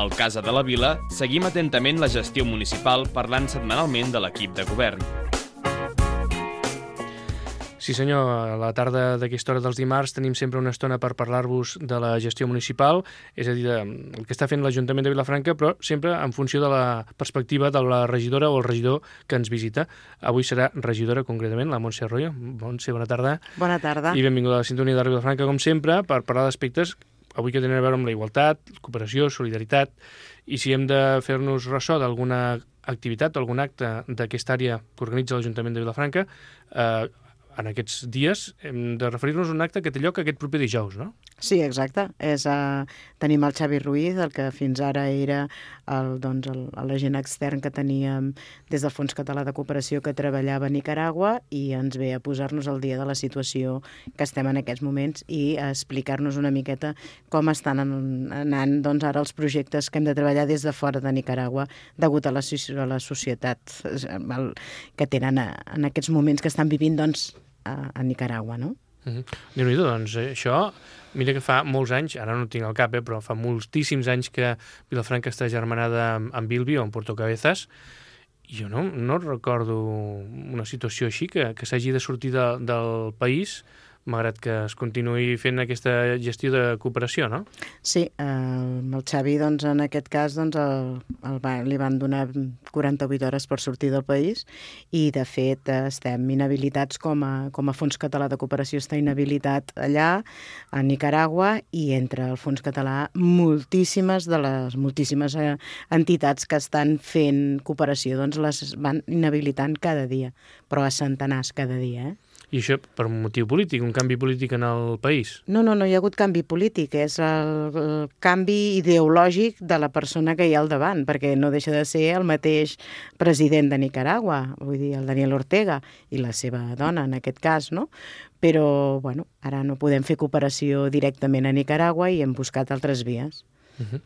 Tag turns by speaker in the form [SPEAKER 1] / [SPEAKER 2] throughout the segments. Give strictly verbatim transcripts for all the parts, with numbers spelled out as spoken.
[SPEAKER 1] Al Casa de la Vila seguim atentament la gestió municipal parlant setmanalment de l'equip de govern.
[SPEAKER 2] Sí senyor, a la tarda d'aquesta hora dels dimarts tenim sempre una estona per parlar-vos de la gestió municipal, és a dir, el que està fent l'Ajuntament de Vilafranca, però sempre en funció de la perspectiva de la regidora o el regidor que ens visita. Avui serà regidora concretament, la Montse Arroyo. Montse, bona tarda.
[SPEAKER 3] Bona tarda.
[SPEAKER 2] I benvinguda a la sintonia de Vilafranca, com sempre, per parlar d'aspectes avui que tenen a veure amb la igualtat, cooperació, solidaritat, i si hem de fer-nos ressò d'alguna activitat o algun acte d'aquesta àrea que organitza l'Ajuntament de Vilafranca, eh, en aquests dies hem de referir-nos a un acte que té lloc aquest proper dijous, no?
[SPEAKER 3] Sí, exacte. És, uh, tenim el Xavi Ruiz, el que fins ara era el, doncs, el, l'agent extern que teníem des del Fons Català de Cooperació que treballava a Nicaragua i ens ve a posar-nos al dia de la situació que estem en aquests moments i a explicar-nos una miqueta com estan anant doncs, ara els projectes que hem de treballar des de fora de Nicaragua degut a la, a la societat el, que tenen a, en aquests moments que estan vivint doncs, a, a Nicaragua, no?
[SPEAKER 2] Uh-huh. Déu-n'hi-do, doncs eh, això, mira que fa molts anys, ara no ho tinc al cap, eh, però fa moltíssims anys que Vilafranca està germanada amb, amb Bilbi o amb Puerto Cabezas, i jo no, no recordo una situació així que, que s'hagi de sortir de, del país malgrat que es continuï fent aquesta gestió de cooperació, no?
[SPEAKER 3] Sí, eh, el Xavi, doncs, en aquest cas, doncs, el, el va, li van donar quaranta-vuit hores per sortir del país i, de fet, estem inhabilitats com a, com a Fons Català de Cooperació està inhabilitat allà, a Nicaragua, i entre el Fons Català moltíssimes de les moltíssimes eh, entitats que estan fent cooperació, doncs les van inhabilitant cada dia, però a centenars cada dia, eh?
[SPEAKER 2] I això per un motiu polític, un canvi polític en el país?
[SPEAKER 3] No, no, no hi ha hagut canvi polític, és el, el canvi ideològic de la persona que hi ha al davant, perquè no deixa de ser el mateix president de Nicaragua, vull dir, el Daniel Ortega, i la seva dona, en aquest cas, no? Però, bueno, ara no podem fer cooperació directament a Nicaragua i hem buscat altres vies.
[SPEAKER 2] Uh-huh.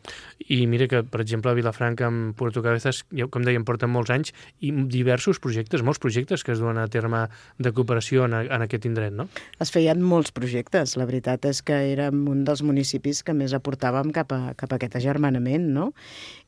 [SPEAKER 2] I mira que, per exemple, a Vilafranca amb Puerto Cabezas, com dèiem, porten molts anys i diversos projectes, molts projectes que es duen a terme de cooperació en, a, en aquest indret, no?
[SPEAKER 3] Es feien molts projectes. La veritat és que érem un dels municipis que més aportàvem cap a, cap a aquest agermanament, no?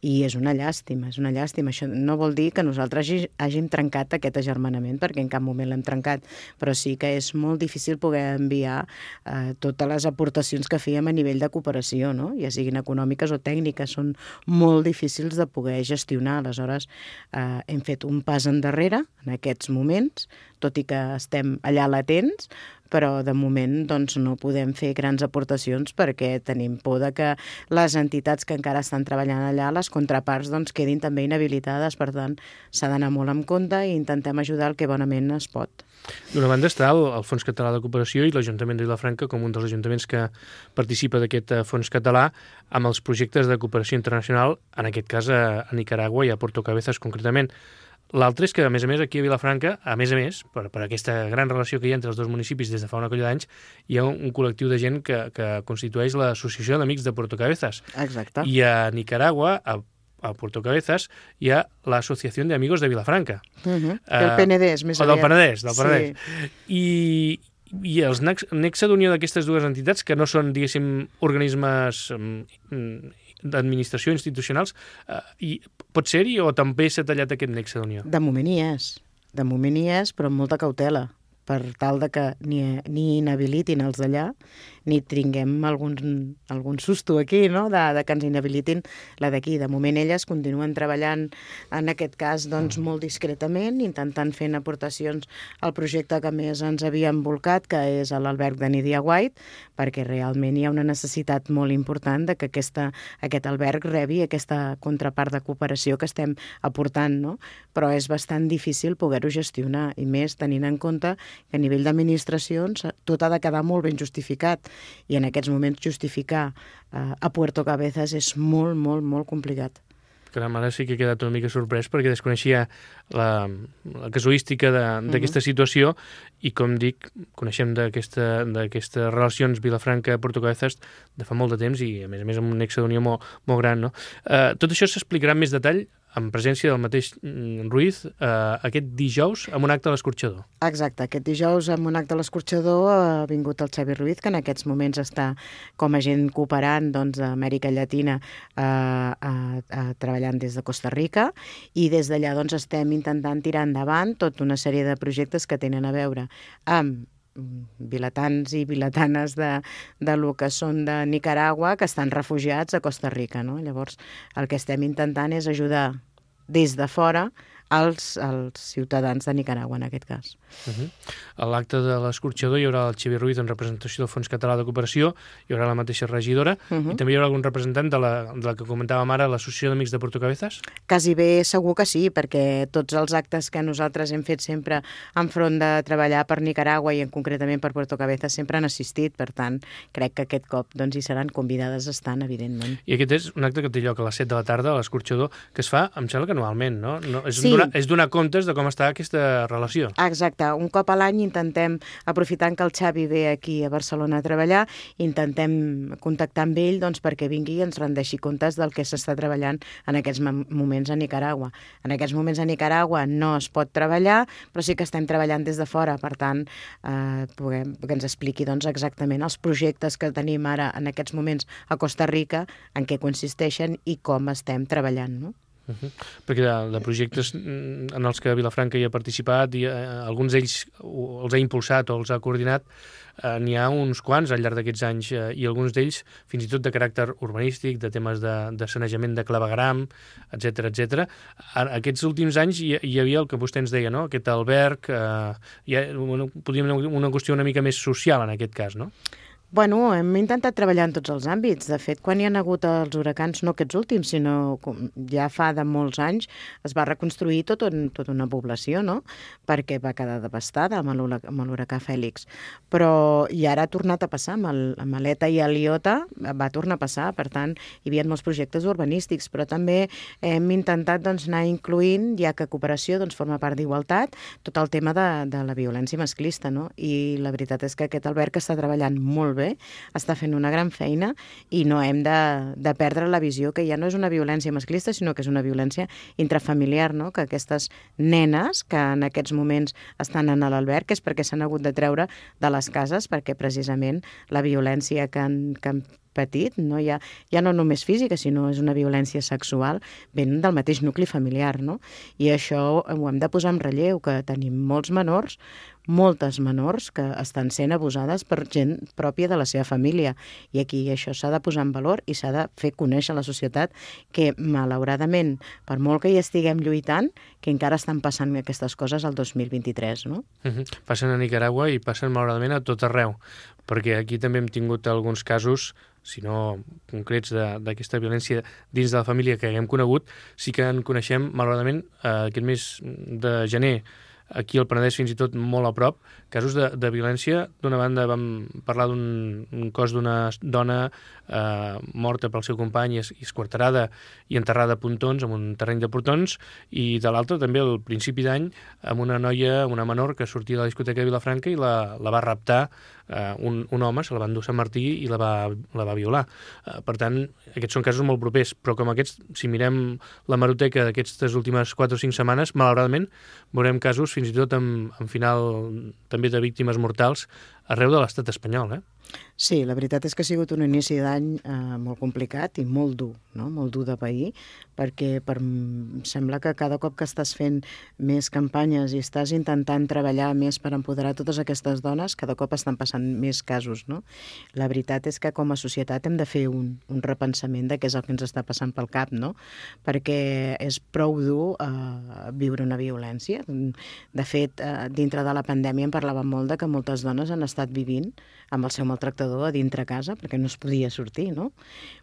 [SPEAKER 3] I és una llàstima, és una llàstima. Això no vol dir que nosaltres hagi, hàgim trencat aquest agermanament, perquè en cap moment l'hem trencat, però sí que és molt difícil poder enviar eh, totes les aportacions que fèiem a nivell de cooperació, no? Ja siguin econòmiques o tècniques, són molt difícils de poder gestionar. Aleshores, eh, hem fet un pas endarrere en aquests moments, tot i que estem allà latents, però de moment doncs, no podem fer grans aportacions perquè tenim por de que les entitats que encara estan treballant allà, les contraparts, doncs, quedin també inhabilitades. Per tant, s'ha d'anar molt en compte i intentem ajudar el que bonament es pot.
[SPEAKER 2] D'una banda està el, el Fons Català de Cooperació i l'Ajuntament de Vilafranca com un dels ajuntaments que participa d'aquest fons català amb els projectes de cooperació internacional, en aquest cas a, a Nicaragua i a Puerto Cabezas concretament. L'altre és que, a més a més, aquí a Vilafranca, a més a més, per, per aquesta gran relació que hi ha entre els dos municipis des de fa una colla d'anys, hi ha un, un col·lectiu de gent que, que constitueix l'Associació d'Amics de Puerto Cabezas.
[SPEAKER 3] Exacte.
[SPEAKER 2] I a Nicaragua, a, a Puerto Cabezas, hi ha l'Associació d'Amigos de Vilafranca.
[SPEAKER 3] Uh-huh. Uh, el P N D és més
[SPEAKER 2] aviat. O del Penedès, del Penedès.
[SPEAKER 3] Sí.
[SPEAKER 2] I, i els nexe d'unió d'aquestes dues entitats, que no són, diguéssim, organismes mm, d'administració institucionals, eh, i pot ser-hi o també s'ha tallat aquest nexe d'unió?
[SPEAKER 3] De moment hi és, de moment hi és, però amb molta cautela, per tal de que ni, ni inhabilitin els d'allà, ni tinguem algun, algun susto aquí, no?, de, de que ens inhabilitin la d'aquí. De moment elles continuen treballant, en aquest cas, doncs, molt discretament, intentant fent aportacions al projecte que més ens havia envolcat, que és l'alberg de Nydia White, perquè realment hi ha una necessitat molt important de que aquesta, aquest alberg rebi aquesta contrapart de cooperació que estem aportant, no? Però és bastant difícil poder-ho gestionar, i més tenint en compte que a nivell d'administracions tot ha de quedar molt ben justificat, i en aquests moments justificar eh, a Puerto Cabezas és molt, molt, molt complicat.
[SPEAKER 2] Caram, ara sí que he quedat una mica sorprès perquè desconeixia la, la casuística d'aquesta uh-huh. situació i, com dic, coneixem d'aquestes relacions Vilafranca-Puerto Cabezas de fa molt de temps i, a més a més, amb un nexe d'unió molt, molt gran, no? Uh, tot això s'explicarà en més detall en presència del mateix Ruiz, eh, aquest dijous amb un acte a l'Escorxador.
[SPEAKER 3] Exacte, aquest dijous amb un acte a l'Escorxador ha vingut el Xavi Ruiz, que en aquests moments està com a agent cooperant doncs, d'Amèrica Llatina eh, a, a, treballant des de Costa Rica, i des d'allà doncs, estem intentant tirar endavant tota una sèrie de projectes que tenen a veure amb vilatans i vilatanes de, de lo que són de Nicaragua que estan refugiats a Costa Rica, no? Llavors, el que estem intentant és ajudar des de fora als, als ciutadans de Nicaragua, en aquest cas.
[SPEAKER 2] Uh-huh. A l'acte de l'Escorxador hi haurà el Xavi Ruiz en representació del Fons Català de Cooperació, hi haurà la mateixa regidora, uh-huh. i també hi haurà algun representant de la, de la que comentàvem ara, l'Associació d'Amics de Portocabezas?
[SPEAKER 3] Quasi bé segur que sí, perquè tots els actes que nosaltres hem fet sempre enfront de treballar per Nicaragua i en concretament per Portocabezas sempre han assistit, per tant, crec que aquest cop doncs, hi seran convidades estant, evidentment.
[SPEAKER 2] I aquest és un acte que té lloc a les set de la tarda a l'Escorxador, que es fa, em sembla que anualment, no? no és,
[SPEAKER 3] sí.
[SPEAKER 2] donar, és donar comptes de com està aquesta relació.
[SPEAKER 3] Exacte. Un cop a l'any intentem, aprofitant que el Xavi ve aquí a Barcelona a treballar, intentem contactar amb ell doncs, perquè vingui i ens rendeixi comptes del que s'està treballant en aquests moments a Nicaragua. En aquests moments a Nicaragua no es pot treballar, però sí que estem treballant des de fora, per tant, eh, puguem, que ens expliqui doncs, exactament els projectes que tenim ara en aquests moments a Costa Rica, en què consisteixen i com estem treballant, no?
[SPEAKER 2] Uh -huh. Perquè de, de projectes en els que Vilafranca hi ha participat i eh, alguns d'ells els ha impulsat o els ha coordinat, eh, n'hi ha uns quants al llarg d'aquests anys eh, i alguns d'ells fins i tot de caràcter urbanístic, de temes de, de sanejament de clavegram, etcètera, etcètera. Aquests últims anys hi, hi havia el que vostè ens deia, no? Aquest alberg, eh, hi ha, una, podríem dir una qüestió una mica més social en aquest cas, no?
[SPEAKER 3] Bueno, hem intentat treballar en tots els àmbits. De fet, quan hi ha hagut els huracans, no aquests últims, sinó ja fa de molts anys, es va reconstruir tot un, tota una població, no? Perquè va quedar devastada amb l'huracà Fèlix. Però i ara ha tornat a passar, amb, el, amb l'Eta i el Iota va tornar a passar, per tant, hi havia molts projectes urbanístics, però també hem intentat doncs, anar incloent, ja que cooperació doncs, forma part d'igualtat, tot el tema de, de la violència masclista, no? I la veritat és que aquest alberg està treballant molt bé, està fent una gran feina i no hem de, de perdre la visió que ja no és una violència masclista, sinó que és una violència intrafamiliar, no? Que aquestes nenes que en aquests moments estan en l'alberg és perquè s'han hagut de treure de les cases, perquè precisament la violència que han, que han patit, no? Ja, ja no només física, sinó és una violència sexual, ven del mateix nucli familiar, no? I això ho hem de posar en relleu, que tenim molts menors, moltes menors que estan sent abusades per gent pròpia de la seva família. I aquí això s'ha de posar en valor i s'ha de fer conèixer a la societat que, malauradament, per molt que hi estiguem lluitant, que encara estan passant aquestes coses al dos mil vint-i-tres, no?
[SPEAKER 2] Uh-huh. Passen a Nicaragua i passen, malauradament, a tot arreu, perquè aquí també hem tingut alguns casos, si no concrets, d'aquesta violència dins de la família que haguem conegut. Sí que en coneixem, malauradament, eh, aquest mes de gener, aquí al Penedès fins i tot molt a prop, casos de, de violència. D'una banda vam parlar d'un cos d'una dona eh, morta pel seu company i esquarterada i enterrada a Pontons, en un terreny de portons, i de l'altra també al principi d'any amb una noia, una menor, que sortia de la discoteca de Vilafranca i la, la va raptar eh, un, un home, se la va endur a Sant Martí i la va, la va violar. Eh, per tant, aquests són casos molt propers, però com aquests, si mirem la hemeroteca d'aquestes últimes quatre o cinc setmanes, malauradament veurem casos fins i tot amb, amb final també de víctimes mortals arreu de l'estat espanyol, eh?
[SPEAKER 3] Sí, la veritat és que ha sigut un inici d'any eh, molt complicat i molt dur, no? Molt dur de pair, perquè per, sembla que cada cop que estàs fent més campanyes i estàs intentant treballar més per empoderar totes aquestes dones, cada cop estan passant més casos, no? La veritat és que com a societat hem de fer un, un repensament de què és el que ens està passant pel cap, no? Perquè és prou dur eh, viure una violència. De fet, eh, dintre de la pandèmia en parlàvem molt de que moltes dones han estat vivint amb el seu maltractador a dintre casa perquè no es podia sortir, no?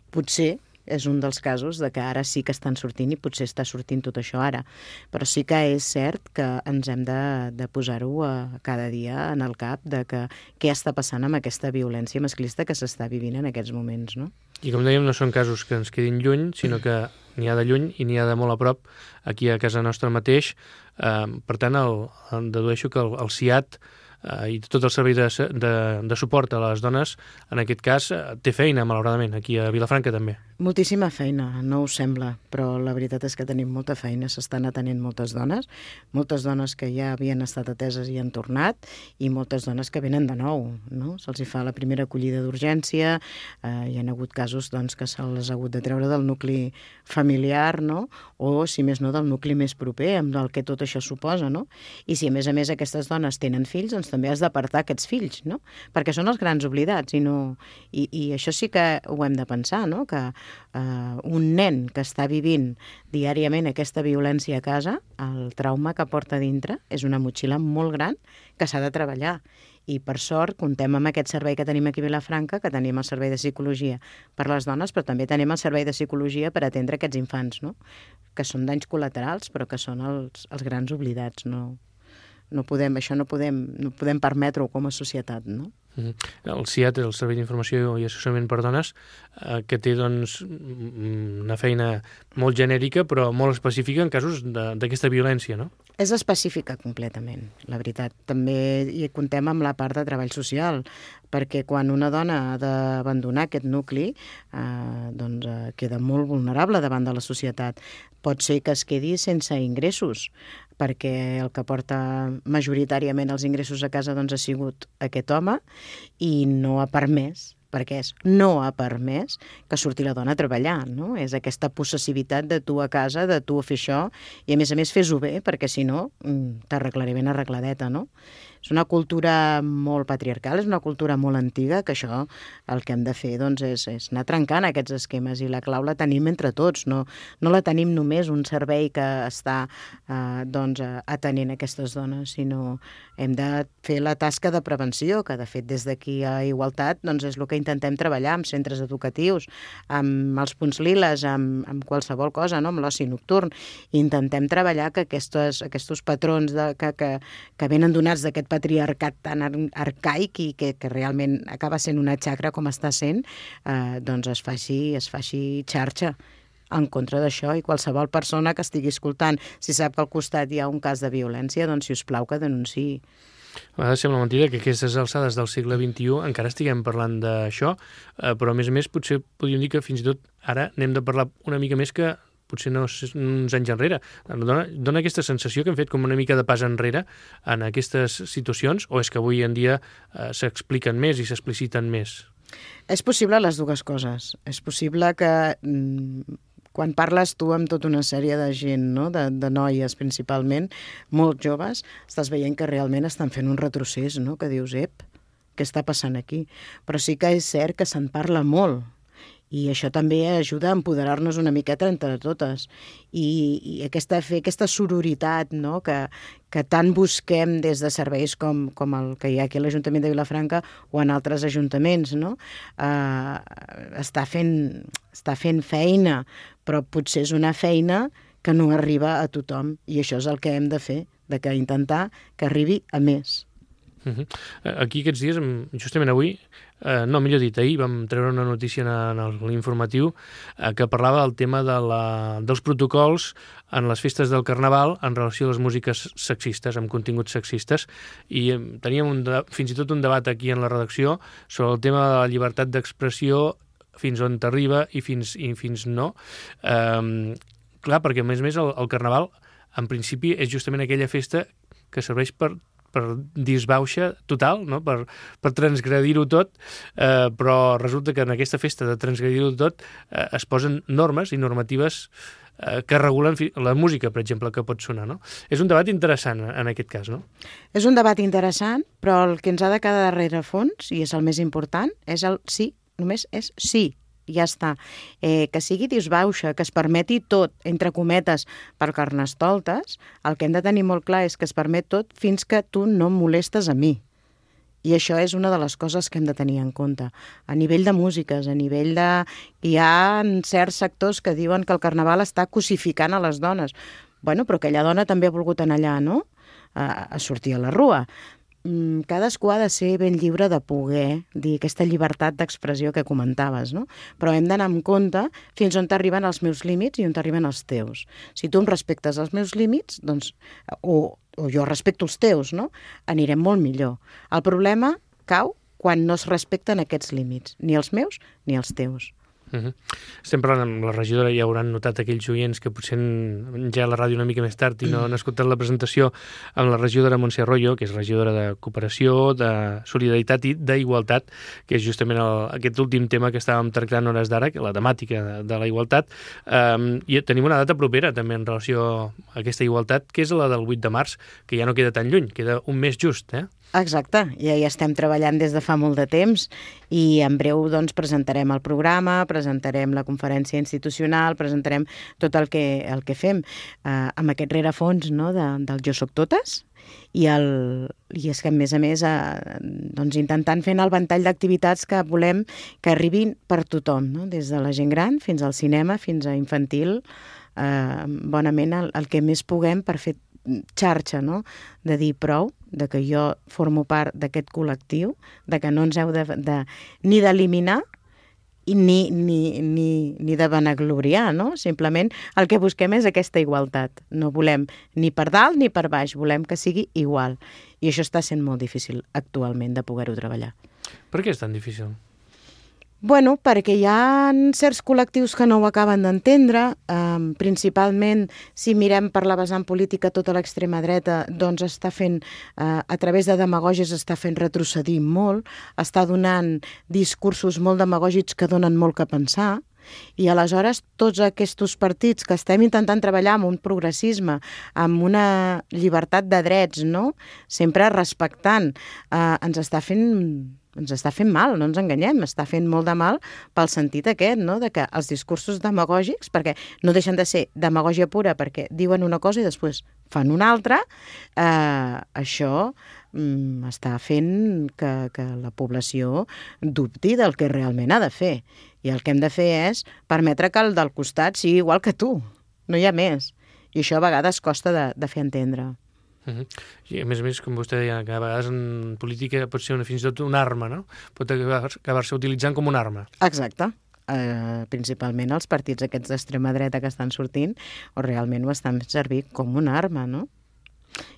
[SPEAKER 3] Potser és un dels casos de que ara sí que estan sortint i potser està sortint tot això ara. Però sí que és cert que ens hem de, de posar-ho cada dia en el cap de que què està passant amb aquesta violència masclista que s'està vivint en aquests moments, no?
[SPEAKER 2] I com dèiem, no són casos que ens quedin lluny, sinó que n'hi ha de lluny i n'hi ha de molt a prop, aquí a casa nostra mateix. Eh, per tant, el, dedueixo que el, el C I A T eh, i tot el servei de, de, de suport a les dones, en aquest cas, eh, té feina, malauradament, aquí a Vilafranca també.
[SPEAKER 3] Moltíssima feina, no us sembla, però la veritat és que tenim molta feina, s'estan atenent moltes dones, moltes dones que ja havien estat ateses i han tornat, i moltes dones que venen de nou, no? Se'ls hi fa la primera acollida d'urgència, eh, hi ha hagut casos doncs, que se'ls ha hagut de treure del nucli familiar, no? O, si més no, del nucli més proper, amb el que tot això suposa, no? I si a més a més aquestes dones tenen fills, doncs també has d'apartar aquests fills, no? Perquè són els grans oblidats, i, no... I, i això sí que ho hem de pensar, no? Que Uh, un nen que està vivint diàriament aquesta violència a casa, el trauma que porta dintre és una motxilla molt gran que s'ha de treballar. I per sort comptem amb aquest servei que tenim aquí a Vilafranca, que tenim el servei de psicologia per les dones, però també tenim el servei de psicologia per atendre aquests infants, no? Que són danys col·laterals, però que són els, els grans oblidats. No, no podem, això no podem, no podem permetre-ho com a societat, no?
[SPEAKER 2] El C I A T, el Servei d'Informació i Assessorament per Dones, eh, que té doncs, una feina molt genèrica però molt específica en casos d'aquesta violència, no?
[SPEAKER 3] És específica completament, la veritat. També hi comptem amb la part de treball social, perquè quan una dona ha d'abandonar aquest nucli, eh, doncs eh, queda molt vulnerable davant de la societat. Pot ser que es quedi sense ingressos, perquè el que porta majoritàriament els ingressos a casa doncs, ha sigut aquest home i no ha permès, perquè és no ha permès que surti la dona a treballar, no? És aquesta possessivitat de tu a casa, de tu a fer això, i a més a més fes-ho bé, perquè si no t'arreglaré ben arregladeta, no? És una cultura molt patriarcal, és una cultura molt antiga, que això el que hem de fer doncs, és, és anar trencant aquests esquemes, i la clau la tenim entre tots, no, no la tenim només un servei que està eh, doncs, atenent aquestes dones, sinó hem de fer la tasca de prevenció, que de fet des d'aquí a Igualtat doncs, és el que intentem treballar amb centres educatius, amb els punts liles, amb, amb qualsevol cosa, no? Amb l'oci nocturn. Intentem treballar que aquests, aquests patrons de, que, que, que venen donats d'aquest patriarcat tan arcaic i que, que realment acaba sent una xacra com està sent, eh, doncs es faci, es faci xarxa en contra d'això, i qualsevol persona que estigui escoltant, si sap que al costat hi ha un cas de violència, doncs si us plau que denunciï.
[SPEAKER 2] A vegades sembla mentida que aquestes alçades del segle vint-i-u encara estiguem parlant d'això, eh, però a més a més potser podríem dir que fins i tot ara n'hem de parlar una mica més que potser no uns anys enrere. Dona, dona aquesta sensació que hem fet com una mica de pas enrere en aquestes situacions, o és que avui en dia eh, s'expliquen més i s'expliciten més?
[SPEAKER 3] És possible les dues coses. És possible que mm, quan parles tu amb tota una sèrie de gent, no? de, de noies principalment, molt joves, estàs veient que realment estan fent un retrocés, no? Que dius, ep, què està passant aquí? Però sí que és cert que se'n parla molt, i això també ajuda a empoderar-nos una miqueta entre totes. I, i aquesta, fer aquesta sororitat, no? que, que tant busquem des de serveis com, com el que hi ha aquí a l'Ajuntament de Vilafranca o en altres ajuntaments, no? eh, està, fent, està fent feina, però potser és una feina que no arriba a tothom, i això és el que hem de fer, de que intentar que arribi a més.
[SPEAKER 2] Uh-huh. Aquí aquests dies, justament avui, eh, no, millor dit, ahir vam treure una notícia en, en l'informatiu eh, que parlava del tema de la, dels protocols en les festes del Carnaval en relació a les músiques sexistes, amb continguts sexistes, i eh, teníem un de, fins i tot un debat aquí en la redacció sobre el tema de la llibertat d'expressió, fins on t'arriba i fins, i fins no. Eh, clar, perquè a més a més el, el Carnaval en principi és justament aquella festa que serveix per per disbauxa total, no? per, per transgredir-ho tot, eh, però resulta que en aquesta festa de transgredir-ho tot eh, es posen normes i normatives eh, que regulen la música, per exemple, que pot sonar. No? És un debat interessant en aquest cas, no?
[SPEAKER 3] És un debat interessant, però el que ens ha de quedar darrere fons, i és el més important, és el sí, només és sí. Ja està. Eh, que sigui disbauxa, que es permeti tot, entre cometes, per carnestoltes, el que hem de tenir molt clar és que es permet tot fins que tu no em molestes a mi. I això és una de les coses que hem de tenir en compte. A nivell de músiques, a nivell de... Hi ha certs sectors que diuen que el Carnaval està cosificant a les dones. Bueno, però aquella dona també ha volgut anar allà, no? A, a sortir a la rua. cadascú ha de ser ben lliure de poder dir aquesta llibertat d'expressió que comentaves, no? Però hem d'anar amb compte fins on t'arriben els meus límits i on t'arriben els teus. Si tu em respectes els meus límits, doncs, o, o jo respecto els teus, no? Anirem molt millor. El problema cau quan no es respecten aquests límits, ni els meus ni els teus.
[SPEAKER 2] Uh-huh. Estem parlant amb la regidora, ja hauran notat aquells oients que potser han ja a la ràdio una mica més tard i no han escoltat la presentació amb la regidora Montse Arroyo, que és regidora de Cooperació, de Solidaritat i d'Igualtat, que és justament el, aquest últim tema que estàvem tractant hores d'ara, la temàtica de, de la igualtat. Um, I tenim una data propera també en relació a aquesta igualtat, que és la del vuit de març, que ja no queda tan lluny, queda un mes just, eh?
[SPEAKER 3] Exacte, ja hi estem treballant des de fa molt de temps i en breu doncs, presentarem el programa, presentarem la conferència institucional, presentarem tot el que, el que fem eh, amb aquest rerefons, no, de, del Jo Soc Totes, i, el, i és que a més a més eh, doncs, intentant fent el ventall d'activitats que volem que arribin per tothom, no? Des de la gent gran fins al cinema, fins a infantil, eh, bonament el, el que més puguem per fer xarxa, no? De dir prou, de que jo formo part d'aquest col·lectiu, de que no ens heu de, de, ni d'eliminar ni, ni, ni, ni de vanagloriar, no? Simplement el que busquem és aquesta igualtat. No volem ni per dalt ni per baix, volem que sigui igual. I això està sent molt difícil actualment de poder-ho treballar.
[SPEAKER 2] Per què és tan difícil?
[SPEAKER 3] Bueno, perquè hi ha certs col·lectius que no ho acaben d'entendre, eh, principalment si mirem per la vessant política tota l'extrema dreta, doncs està fent, eh, a través de demagògies està fent retrocedir molt, està donant discursos molt demagògics que donen molt que pensar, i aleshores tots aquests partits que estem intentant treballar amb un progressisme, amb una llibertat de drets, no? Sempre respectant, eh, ens està fent... ens està fent mal, no ens enganyem, està fent molt de mal pel sentit aquest, no? De que els discursos demagògics, perquè no deixen de ser demagògia pura, perquè diuen una cosa i després fan una altra, eh, això mm, està fent que, que la població dubti del que realment ha de fer. I el que hem de fer és permetre que el del costat sigui igual que tu, no hi ha més. I això a vegades costa de, de fer entendre.
[SPEAKER 2] Uh-huh. I a més a més, com vostè deia, que a vegades en política pot ser una, fins i tot una arma, no? Pot acabar-se acabar utilitzant com una arma.
[SPEAKER 3] Exacte. Uh, principalment els partits aquests d'extrema dreta que estan sortint o realment ho estan servir com una arma, no?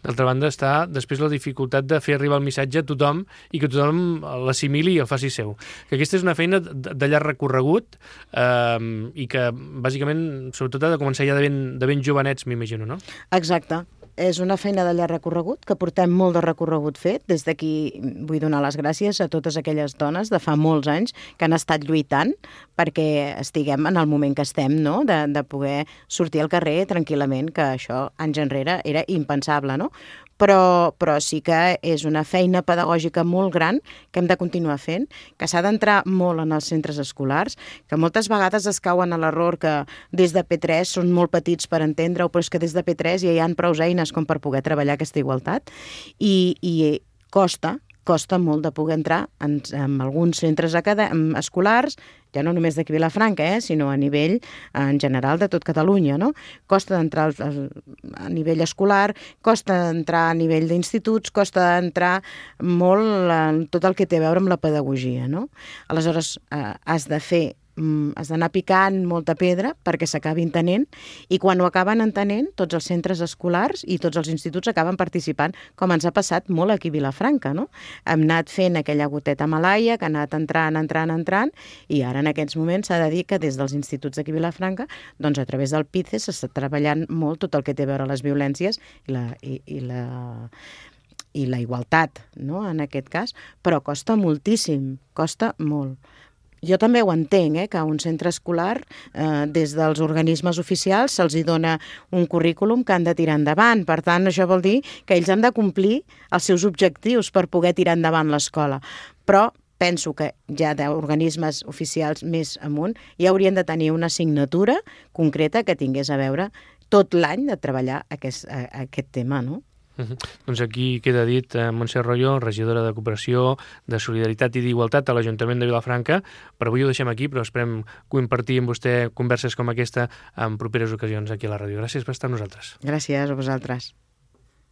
[SPEAKER 2] D'altra banda està després la dificultat de fer arribar el missatge a tothom i que tothom l'assimili i el faci seu. Que aquesta és una feina de, de llarg recorregut eh, i que bàsicament sobretot ha de començar ja de ben, de ben jovenets, m'imagino, no?
[SPEAKER 3] Exacte. És una feina de llarg recorregut, que portem molt de recorregut fet. Des d'aquí vull donar les gràcies a totes aquelles dones de fa molts anys que han estat lluitant perquè estiguem en el moment que estem, no? de, de poder sortir al carrer tranquil·lament, que això anys enrere era impensable, no? Però, però sí que és una feina pedagògica molt gran que hem de continuar fent, que s'ha d'entrar molt en els centres escolars, que moltes vegades es cauen a l'error que des de P tres són molt petits per entendre-ho, però és que des de P tres ja hi ha prou eines com per poder treballar aquesta igualtat i, i costa, costa molt de poder entrar en, en alguns centres escolars, ja no només d'aquí Vilafranca, eh, sinó a nivell en general de tot Catalunya, no? Costa d'entrar a nivell escolar, costa d'entrar a nivell d'instituts, costa d'entrar molt en tot el que té a veure amb la pedagogia, no? Aleshores, eh, has de fer has d'anar picant molta pedra perquè s'acabi entenent i quan ho acaben entenent tots els centres escolars i tots els instituts acaben participant, com ens ha passat molt aquí a Vilafranca, no? Hem anat fent aquella goteta malaia que ha anat entrant, entrant, entrant i ara en aquests moments s'ha de dir que des dels instituts d'aquí a Vilafranca, doncs a través del P I C E s'està treballant molt tot el que té a veure les violències i la, i, i la i la igualtat, no? En aquest cas, però costa moltíssim, costa molt. Jo també ho entenc, eh, que a un centre escolar, eh, des dels organismes oficials, se'ls hi dona un currículum que han de tirar endavant. Per tant, això vol dir que ells han de complir els seus objectius per poder tirar endavant l'escola. Però penso que ja d'organismes oficials més amunt ja haurien de tenir una assignatura concreta que tingués a veure tot l'any de treballar aquest, aquest tema, no?
[SPEAKER 2] Uh-huh. Doncs aquí queda dit eh, Montse Arroyo, regidora de Cooperació, de Solidaritat i d'Igualtat a l'Ajuntament de Vilafranca. Per avui ho deixem aquí, però esperem compartir amb vostè converses com aquesta en properes ocasions aquí a la ràdio. Gràcies per estar amb nosaltres.
[SPEAKER 3] Gràcies a vosaltres.